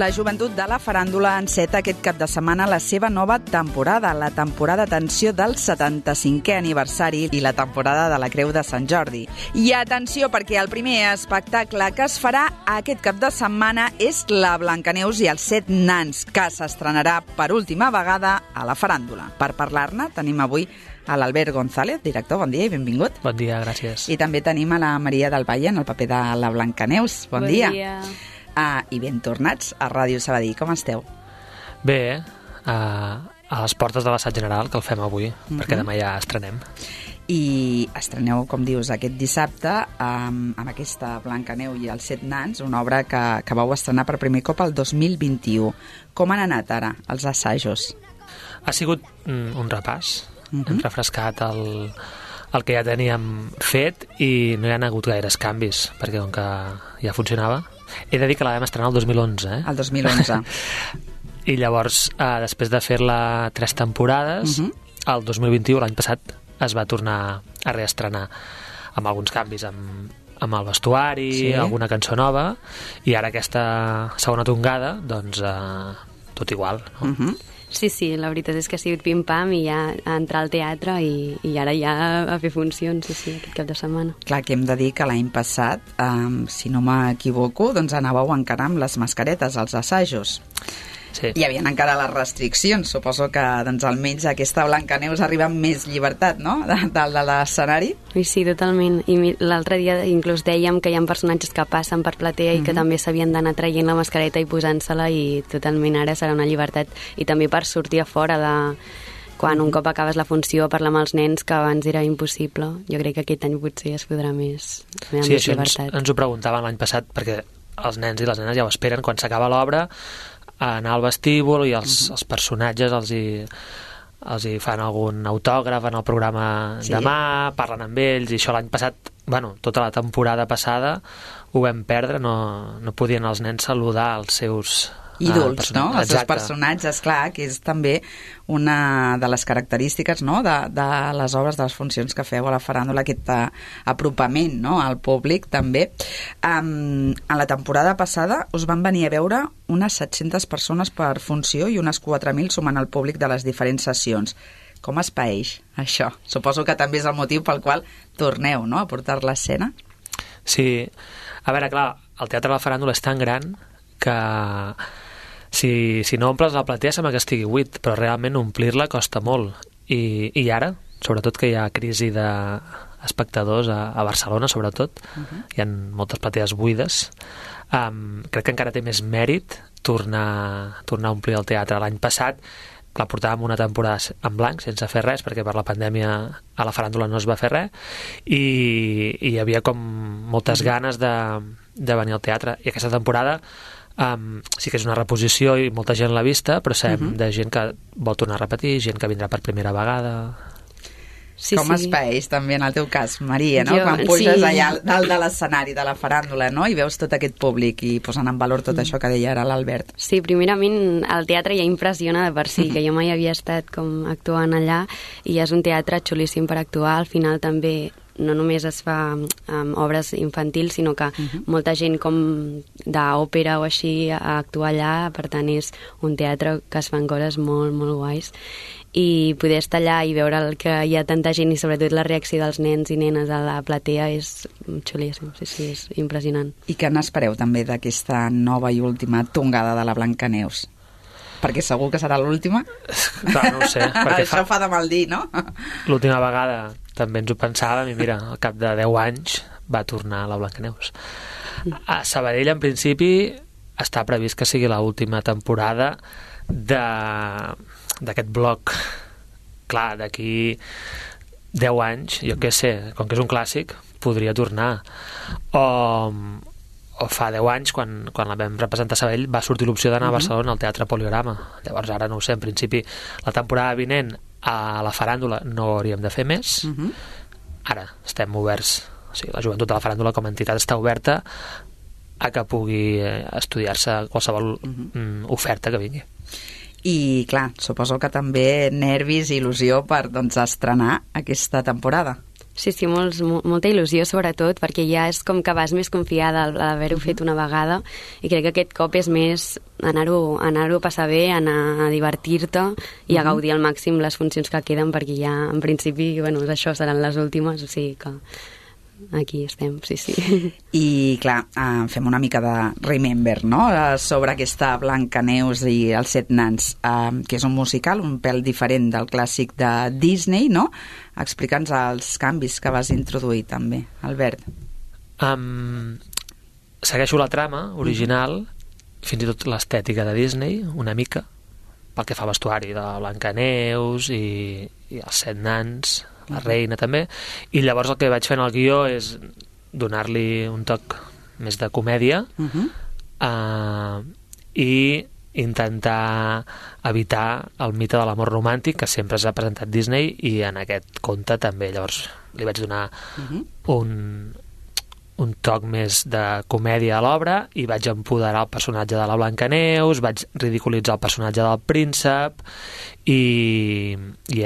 La joventut de la faràndula enceta aquest cap de setmana la seva nova temporada, la temporada atenció del 75è aniversari i la temporada de la Creu de Sant Jordi. I atenció, perquè el primer espectacle que es farà aquest cap de setmana és la Blancaneus i els 7 nans, que s'estrenarà per última vegada a la faràndula. Per parlar-ne tenim avui a l'Albert González, director. Bon dia i benvingut. Bon dia, gràcies. I també tenim a la Maria del Valle en el paper de la Blancaneus. Bon dia. I ben tornats a Ràdio Sabadell. Com esteu? Bé, a les portes de l'assaig general, que el fem avui, perquè demà ja estrenem. I estreneu, com dius, aquest dissabte amb aquesta Blancaneu i els 7 nans, una obra que vau estrenar per primer cop el 2021. Com han anat ara els assajos? Ha sigut un repàs. Hem refrescat el que ja teníem fet i no hi ha hagut gaires canvis, perquè com que ja funcionava. He de dir que la vam estrenar el 2011. El 2011. I llavors, després de fer-la 3 temporades, el 2021, l'any passat, es va tornar a reestrenar amb alguns canvis, amb el vestuari, alguna cançó nova, i ara aquesta segona tongada, doncs, tot igual, no? Sí, la veritat és que ha sigut pim-pam i ja a entrar al teatre i ara ja a fer funcions, aquest cap de setmana. Clar, que hem de dir que l'any passat, si no m'equivoco, doncs anàveu encara amb les mascaretes als assajos. Sí. Hi havia encara les restriccions. Suposo que doncs, almenys aquesta Blancaneus arriba amb més llibertat, no?, de l'escenari. Sí, totalment. I l'altre dia inclús dèiem que hi ha personatges que passen per platea i que també s'havien d'anar traient la mascareta i posant-se-la, i totalment ara serà una llibertat. I també per sortir a fora de... quan un cop acabes la funció, parlar amb els nens, que abans era impossible. Jo crec que aquest any potser es podrà més. Sí, això ens ho preguntaven l'any passat, perquè els nens i les nenes ja ho esperen quan s'acaba l'obra, anar al vestíbul i els personatges els hi fan algun autògraf en el programa demà, parlen amb ells, i això l'any passat, tota la temporada passada ho vam perdre, no podien els nens saludar els seus ídols, no? Els seus personatges, clar, que és també una de les característiques, no?, de les obres, de les funcions que feu a la faràndula, aquest apropament, no?, al públic, també. En la temporada passada us van venir a veure unes 700 persones per funció i unes 4.000 sumant el públic de les diferents sessions. Com es paeix això? Suposo que també és el motiu pel qual torneu, no?, a portar l'escena. Sí. A veure, clar, el Teatre de la Faràndula és tan gran que si no omples la platea sembla que estigui buit, però realment omplir-la costa molt. I ara, sobretot que hi ha crisi d'espectadors a Barcelona, sobretot, hi ha moltes platees buides, crec que encara té més mèrit tornar a omplir el teatre. L'any passat la portàvem una temporada en blanc, sense fer res, perquè per la pandèmia a la faràndula no es va fer res, i hi havia com moltes ganes de venir al teatre. I aquesta temporada sí que és una reposició i molta gent l'ha vista, però sabem de gent que vol tornar a repetir, gent que vindrà per primera vegada. Com es paeix també en el teu cas, Maria, no? Quan puges allà dalt de l'escenari de la faràndula, no?, i veus tot aquest públic i posant en valor tot això que deia ara l'Albert. Sí, primerament el teatre ja impressiona de per si, que jo mai havia estat com actuant allà, i és un teatre xulíssim per actuar. Al final també no només es fa obres infantils, sinó que molta gent com d'òpera o així actua allà, per tant és un teatre que es fan coses molt, molt guais, i poder estar allà i veure que hi ha tanta gent i sobretot la reacció dels nens i nenes a la platea és xulíssim, sí, és impressionant. I què n'espereu també d'aquesta nova i última tongada de la Blancaneus? Perquè segur que serà l'última? Clar, no ho sé. Això fa de mal dir, no? L'última vegada també ens ho pensàvem i mira, al cap de 10 anys va tornar la Blancaneus. A Sabadell, en principi, està previst que sigui l'última temporada d'aquest bloc. Clar, d'aquí 10 anys, jo què sé, com que és un clàssic, podria tornar. O fa 10 anys, quan la vam representar a Sabadell, va sortir l'opció d'anar a Barcelona al Teatre Poliorama. Llavors ara no ho sé, en principi la temporada vinent a la faràndula no hauríem de fer més. Ara estem oberts, o sigui, la joventut de la faràndula com a entitat està oberta a que pugui estudiar-se qualsevol oferta que vingui. I clar, suposo que també nervis i il·lusió per estrenar aquesta temporada. Sí, molta il·lusió, sobretot, perquè ja és com que vas més confiada a l'haver-ho fet una vegada, i crec que aquest cop és més anar-ho a passar bé, anar a divertir-te i a gaudir al màxim les funcions que queden, perquè ja, en principi, bueno, això seran les últimes, o sigui que aquí estem, sí. I, clar, fem una mica de remember, no?, sobre aquesta Blancaneus i els 7 nans, que és un musical un pèl diferent del clàssic de Disney, no? Explica'ns els canvis que vas introduir, també, Albert. Segueixo la trama original, fins i tot l'estètica de Disney, una mica, pel que fa al vestuari de Blancaneus i els 7 nans, la reina també, i llavors el que vaig fer en el guió és donar-li un toc més de comèdia i intentar evitar el mite de l'amor romàntic que sempre s'ha presentat Disney, i en aquest conte també. Llavors li vaig donar un toc més de comèdia a l'obra i vaig empoderar el personatge de la Blancaneus, vaig ridiculitzar el personatge del príncep, i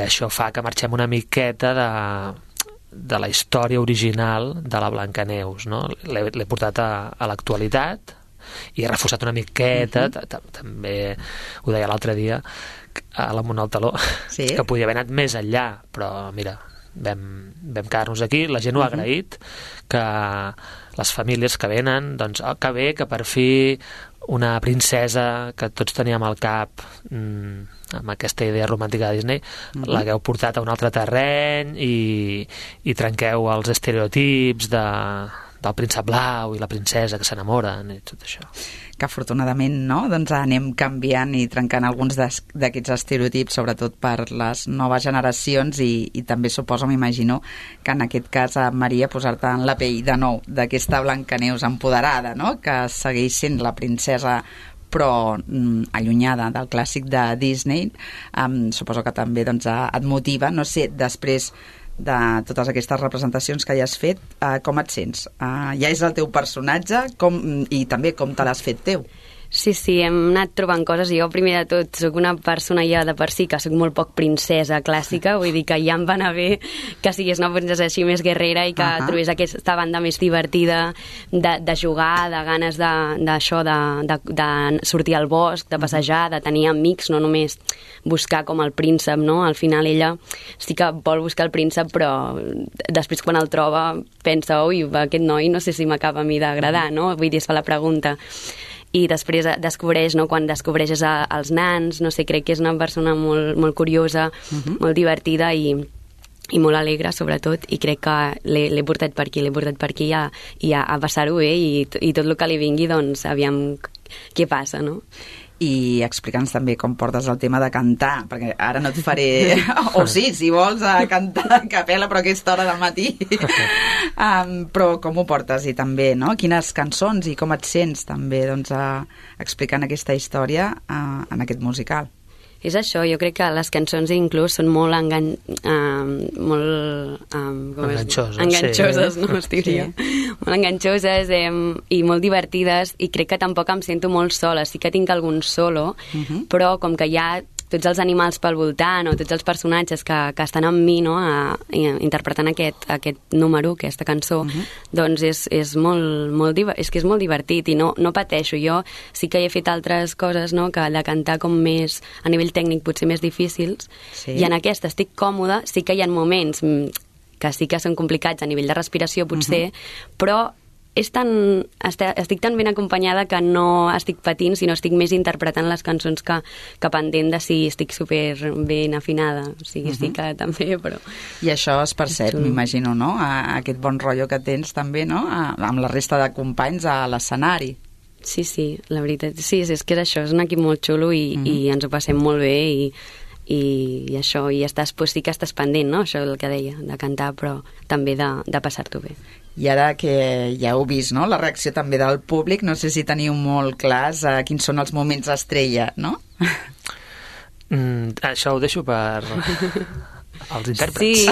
això fa que marxem una miqueta de la història original de la Blancaneus, no? L'he portat a l'actualitat i he reforçat una miqueta, també ho deia l'altre dia a la Mona al Taló, que podia haver anat més enllà, però mira, vam quedar-nos aquí, la gent ho ha agraït, que les famílies que venen, doncs, que bé, que per fi una princesa que tots teníem al cap amb aquesta idea romàntica de Disney, l'hagueu portat a un altre terreny i trenqueu els estereotips del príncep blau i la princesa que s'enamoren i tot això. Que afortunadament, no?, doncs anem canviant i trencant alguns d'aquests estereotips, sobretot per les noves generacions, i també suposo, m'imagino, que en aquest cas, Maria, posar-te en la pell de nou d'aquesta Blancaneus empoderada, no?, que segueix sent la princesa però allunyada del clàssic de Disney, suposo que també doncs, et motiva, no sé, després de totes aquestes representacions que ja has fet, com et sents? Ja és el teu personatge i també com te l'has fet teu? Sí, hem anat trobant coses. Jo, primer de tot, soc una persona ja de per si que soc molt poc princesa clàssica, vull dir que ja em va anar bé que sigués una princesa així més guerrera i que trobés aquesta banda més divertida de jugar, de ganes d'això, de sortir al bosc, de passejar, de tenir amics, no només buscar com el príncep, no? Al final ella sí que vol buscar el príncep, però després quan el troba pensa, ui, aquest noi no sé si m'acaba a mi d'agradar, no? Vull dir, es fa la pregunta. I després descobreix, no?, quan descobreixes els nans, no sé, crec que és una persona molt, molt curiosa, molt divertida i molt alegre, sobretot, i crec que l'he portat per aquí i a passar-ho bé i tot el que li vingui, doncs, aviam què passa, no? I explica'ns també com portes el tema de cantar, perquè ara no et faré... o sí, si vols cantar a capella, però a aquesta hora del matí. Però com ho portes? I també, no?, quines cançons i com et sents també, doncs, explicant aquesta història en aquest musical. És això, jo crec que les cançons inclús són molt enganxoses, no? Molt enganxoses i molt divertides, i crec que tampoc em sento molt sola. Sí que tinc algun solo, però com que hi ha tots els animals pel voltant o tots els personatges que estan amb mi, no?, interpretant aquest número, aquesta cançó, doncs és molt divertit i no pateixo. Jo sí que he fet altres coses, no?, que de cantar com més a nivell tècnic potser més difícils, i en aquesta estic còmoda. Sí que hi ha moments que sí que són complicats a nivell de respiració potser, però estic tan ben acompanyada que no estic patint, sinó estic més interpretant les cançons que pendent de si estic super ben afinada. O sigui, estic també, però... I això es percep, m'imagino, no?, aquest bon rotllo que tens també, no?, amb la resta de companys a l'escenari. Sí, la veritat. Sí, és que és això, és un equip molt xulo i ens ho passem molt bé i això, i sí que estàs pendent, no?, això és el que deia, de cantar, però també de passar-t'ho bé. I ara que ja heu vist, no?, la reacció també del públic, no sé si teniu molt clars quins són els moments estrella, no? Això ho deixo per els intèrprets. Sí,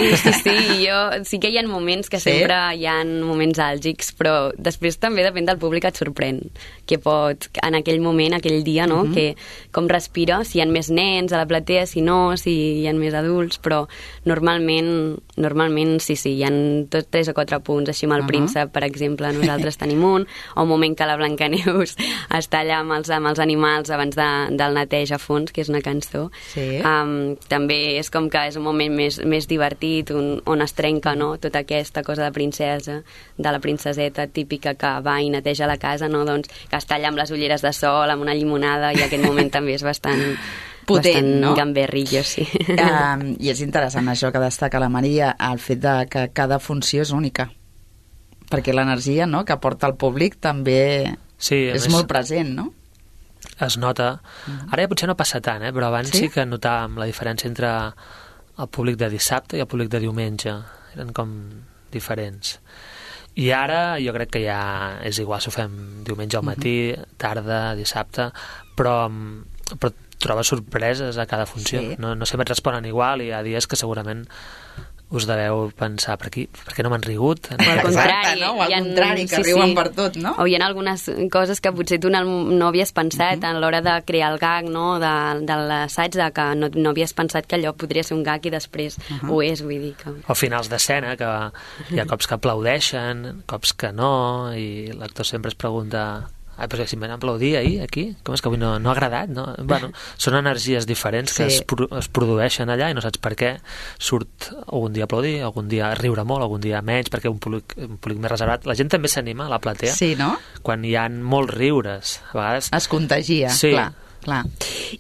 sí que hi ha moments que sempre hi ha moments àlgics, però després també depèn del públic, et sorprèn que pot, en aquell moment, aquell dia, no? Que com respira, si hi ha més nens a la platea, si no, si hi ha més adults, però normalment sí, hi ha tots 3 o 4 punts, així amb el príncep, per exemple, nosaltres tenim un moment que la Blancaneus està allà amb els animals abans del neteja a fons, que és una cançó. També és com que és un moment més divertit, on es trenca, no?, tota aquesta cosa de princesa, de la princeseta típica que va i neteja la casa, no?, doncs, que està allà amb les ulleres de sol, amb una llimonada, i aquest moment també és bastant potent, no? Gamberrillo, sí. I és interessant això que destaca la Maria, el fet de que cada funció és única, perquè l'energia, no?, que aporta el públic també és molt present, no? Es nota. Ara ja potser no passa tant, però abans sí que notàvem la diferència entre el públic de dissabte i el públic de diumenge. Eren com diferents. I ara jo crec que ja és igual si ho fem diumenge al matí, tarda, dissabte, però trobes sorpreses a cada funció. No sempre et responen igual, i hi ha dies que segurament us deveu pensar per què no m'han rigut? O al contrari, no? O al contrari, que riuen per tot, no? O hi ha algunes coses que potser tu no havies pensat a l'hora de crear el gag, no?, de l'assaig, que no havies pensat que allò podria ser un gag i després ho és, vull dir que... O finals d'escena, que hi ha cops que aplaudeixen, cops que no, i l'actor sempre es pregunta... però si m'han aplaudit ahir, aquí, com és que avui no ha agradat, no? Bueno, són energies diferents que es produeixen allà i no saps per què surt algun dia aplaudir, algun dia riure molt, algun dia menys, perquè un públic més reservat. La gent també s'anima a la platea. Sí, no? Quan hi ha molts riures, a vegades... Es contagia, clar.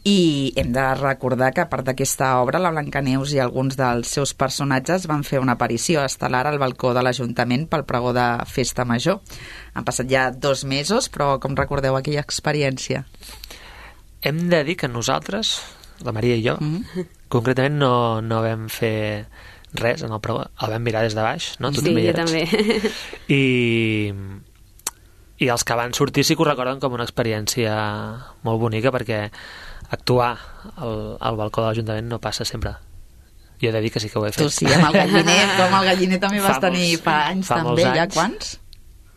I hem de recordar que a part d'aquesta obra, la Blancaneus i alguns dels seus personatges van fer una aparició estel·lar al balcó de l'Ajuntament pel pregó de Festa Major. Han passat ja 2 mesos, però com recordeu aquella experiència? Hem de dir que nosaltres, la Maria i jo, concretament no vam fer res en el pregó, el vam mirar des de baix, no? Sí, jo també. I els que van sortir sí que ho recorden com una experiència molt bonica, perquè actuar al balcó de l'Ajuntament no passa sempre. Jo he de dir que sí que ho he fet. Tu sí, amb el Galliner, com el Galliner també vas tenir fa anys també, ja quants?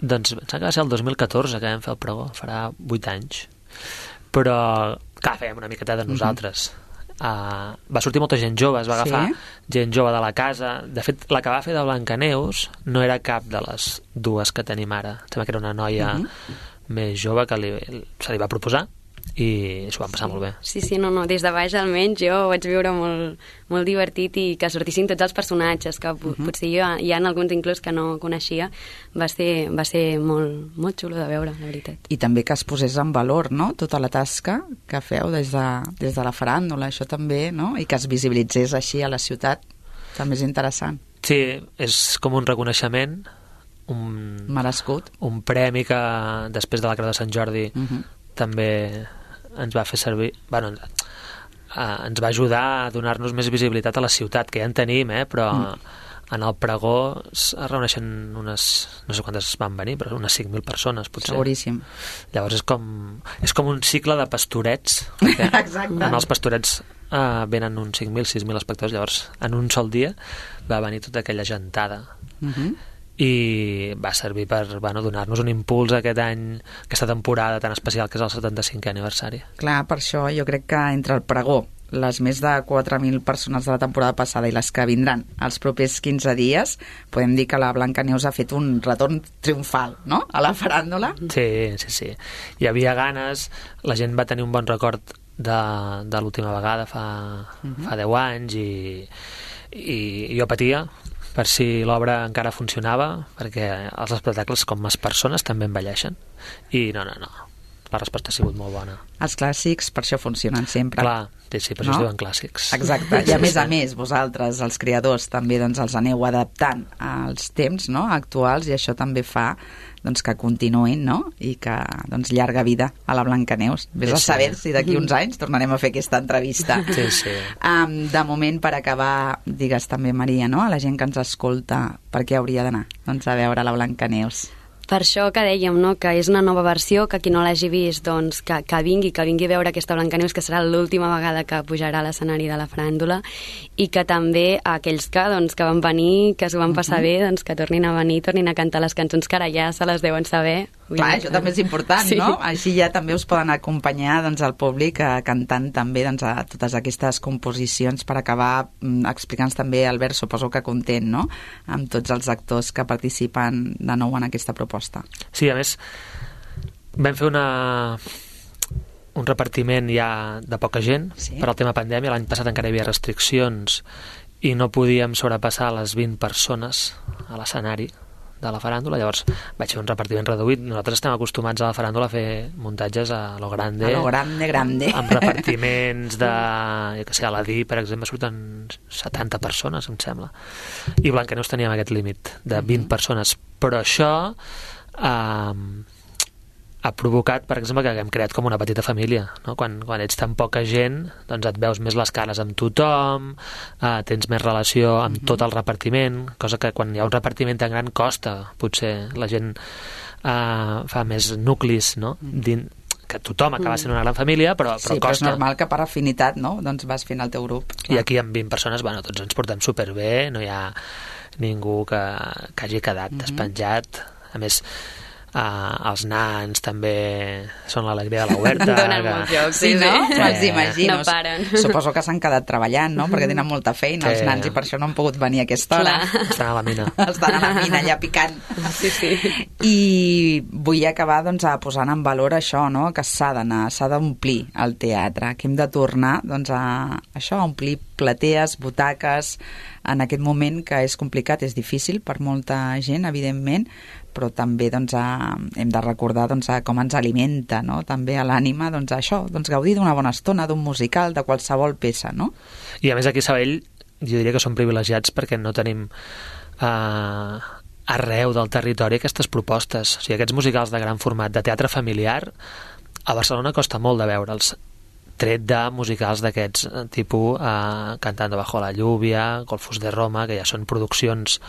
Doncs em sembla que va ser el 2014 que vam fer el pregó, farà 8 anys. Però, clar, fèiem una miqueta de nosaltres. Va sortir molta gent jove, es va agafar gent jove de la casa. De fet, la que va fer de Blancaneus no era cap de les 2 que tenim ara. Em sembla que era una noia més jove que se li va proposar i s'ho van passar molt bé. Sí, no, des de baix almenys jo ho vaig viure molt divertit, i que sortissin tots els personatges, que potser hi ha alguns inclús que no coneixia. Va ser molt xulo de veure, la veritat. I també que es posés en valor, no?, tota la tasca que feu des de la faràndula, això també, no?, i que es visibilitzés així a la ciutat, també és interessant. Sí, és com un reconeixement, merescut, un premi que després de la Creu de Sant Jordi també ens va fer servir, ens va ajudar a donar-nos més visibilitat a la ciutat, que ja en tenim, però en el pregó es reuneixen unes, no sé quantes van venir, però unes 5.000 persones, potser. Seguríssim. Llavors és com un cicle de pastorets. Exacte. En els pastorets venen uns 5.000, 6.000 espectadors, llavors en un sol dia va venir tota aquella gentada. I va servir per donar-nos un impuls aquest any, aquesta temporada tan especial que és el 75è aniversari. Clar, per això jo crec que entre el pregó, les més de 4.000 persones de la temporada passada i les que vindran els propers 15 dies, podem dir que la Blancaneus ha fet un retorn triomfal, no?, a la faràndula. Sí. Hi havia ganes, la gent va tenir un bon record de l'última vegada fa 10 anys, i jo patia per si l'obra encara funcionava, perquè els espectacles, com les persones, també envelleixen. I no, la resposta ha sigut molt bona. Els clàssics per això funcionen sempre. Clar, sí, per això es diuen clàssics. Exacte, i a més, vosaltres, els creadors, també els aneu adaptant als temps, no?, actuals, i això també fa que continuïn, no?, i que llarga vida a la Blancaneus. Vés a saber si d'aquí uns anys tornarem a fer aquesta entrevista. Sí. De moment, per acabar, digues també, Maria, no?, a la gent que ens escolta, per què hauria d'anar a veure la Blancaneus? per això que dèiem, no?, que és una nova versió, que qui no l'hagi vist, doncs, que vingui a veure aquesta Blancaneus, que serà l'última vegada que pujarà a l'escenari de la faràndula, i que també aquells que van venir, que s'ho van passar bé, doncs que tornin a venir, tornin a cantar les cançons que ara ja se les deuen saber. Clar, això també és important, no? Així ja també us poden acompanyar al públic cantant també a totes aquestes composicions per acabar explicant-nos també, Albert, suposo que content, no?, amb tots els actors que participen de nou en aquesta proposta. Sí, a més, vam fer un repartiment ja de poca gent per al tema pandèmia. L'any passat encara hi havia restriccions i no podíem sobrepassar les 20 persones a l'escenari de la faràndula, llavors vaig fer un repartiment reduït. Nosaltres estem acostumats a la faràndula a fer muntatges a lo grande, amb repartiments de, jo que sé, a l'Adí, per exemple, surten 70 persones, em sembla, i Blancaneus teníem aquest límit de 20 persones, però això ha provocat, per exemple, que hem creat com una petita família, no? Quan ets tan poca gent, doncs et veus més les cares amb tothom, tens més relació amb tot el repartiment, cosa que quan hi ha un repartiment tan gran costa, potser la gent fa més nuclis, no?, que tothom acaba sent una gran família, però costa. Però és normal que per afinitat, no?, doncs vas fent el teu grup. I aquí amb 20 persones, bueno, tots ens portem superbé, no hi ha ningú que hagi quedat despenjat. A més, els nans també són l'alegria de la huerta. Donen molt joc, sí, no? Me'ls imagino. No paren. Suposo que s'han quedat treballant, no?, perquè tenen molta feina els nans i per això no han pogut venir a aquesta hora. Estan a la mina. Estan a la mina allà picant. Sí. I vull acabar posant en valor això, no?, que s'ha d'anar, s'ha d'omplir el teatre, que hem de tornar a això, a omplir platees, butaques, en aquest moment que és complicat, és difícil per molta gent, evidentment, però també hem de recordar com ens alimenta, no?, també a l'ànima, això, gaudir d'una bona estona, d'un musical, de qualsevol peça, no? I a més aquí a Sabadell jo diria que som privilegiats perquè no tenim arreu del territori aquestes propostes. O sigui, aquests musicals de gran format, de teatre familiar, a Barcelona costa molt de veure'ls, tret de musicals d'aquests tipus Cantando bajo la lluvia, Golfos de Roma, que ja són produccions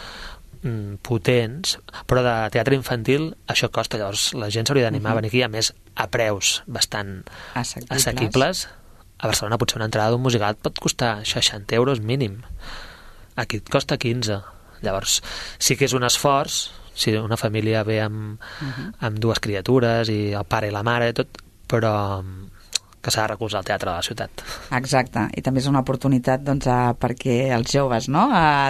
potents, però de teatre infantil això costa, llavors la gent s'hauria d'animar a venir aquí, a més a preus bastant assequibles. A Barcelona potser una entrada d'un musical pot costar 60 euros mínim, aquí et costa 15, llavors sí que és un esforç si una família ve amb dues criatures i el pare i la mare i tot, però que s'ha de recolzar el teatre de la ciutat. Exacte, i també és una oportunitat perquè els joves, no?,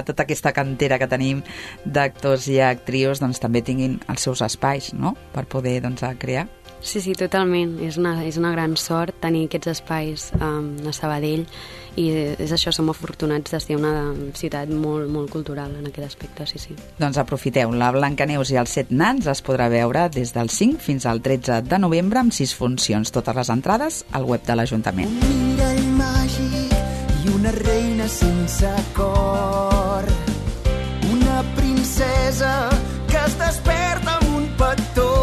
tota aquesta cantera que tenim d'actors i actrius també tinguin els seus espais, no?, per poder crear. Sí, totalment. És una gran sort tenir aquests espais a Sabadell i és això, som afortunats de ser una ciutat molt, molt cultural en aquest aspecte, sí. Doncs aprofiteu, la Blancaneus i els 7 nans es podrà veure des del 5 fins al 13 de novembre amb 6 funcions, totes les entrades al web de l'Ajuntament. Un mirall màgic i una reina sense cor, una princesa que es desperta amb un petó,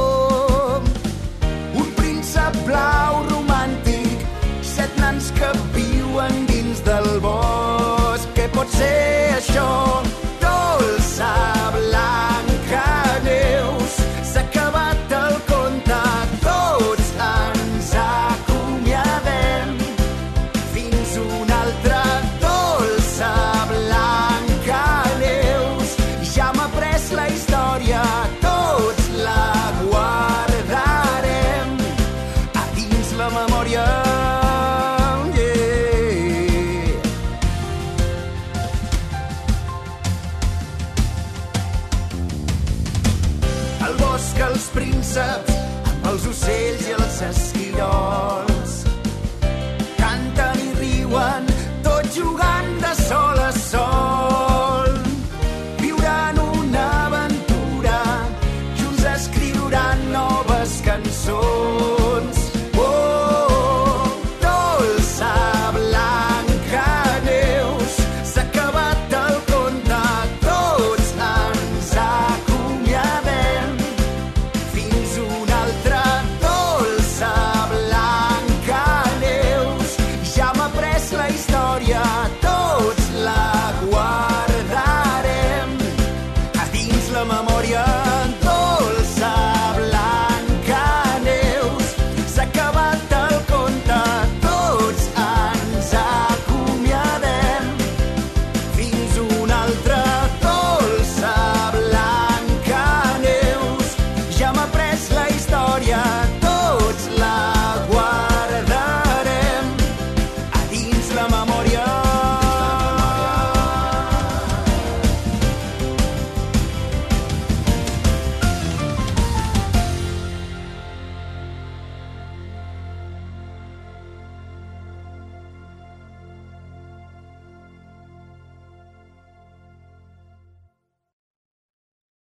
blau romàntic, 7 nans que viuen dins del bosc. Què pot ser això? Dolça Blancaneus, s'ha acabat el conte, tots ens acomiadem. Fins una altra. Dolça Blancaneus, ja m'ha pres la història, tots la guardarem la memòria, Al bosc els prínceps, amb els ocells i els esquirols,